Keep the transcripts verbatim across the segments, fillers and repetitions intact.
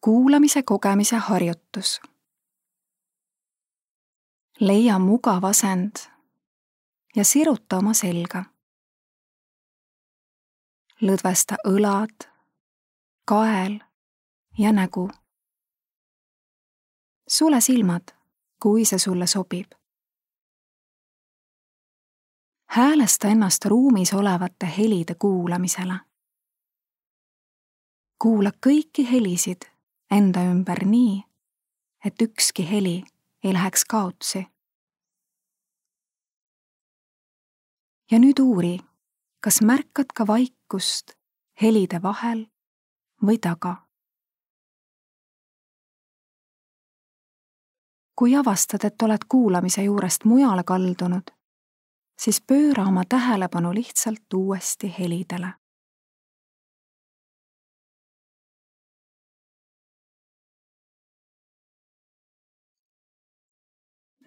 Kuulamise kogemise harjutus. Leia mugav asend ja siruta oma selga. Lõdvesta õlad, kael ja nägu. Sule silmad, kui see sulle sobib. Häälesta ennast ruumis olevate helide kuulamisele. Kuula kõiki helisid enda ümber nii, et ükski heli ei läheks kaotsi. Ja nüüd uuri, kas märkad ka vaikust helide vahel või taga. Kui avastad, et oled kuulamise juurest mujale kaldunud, siis pööra oma tähelepanu lihtsalt uuesti helidele.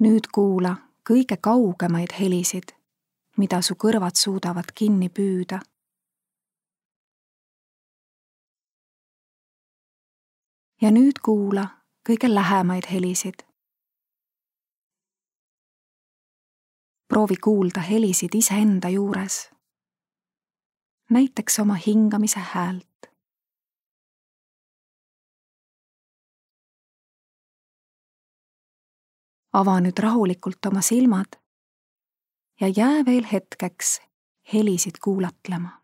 Nüüd kuula kõige kaugemaid helisid, mida su kõrvad suudavad kinni püüda. Ja nüüd kuula kõige lähemaid helisid. Proovi kuulda helisid iseenda juures, näiteks oma hingamise häält. Ava nüüd rahulikult oma silmad ja jää veel hetkeks helisid kuulatlema.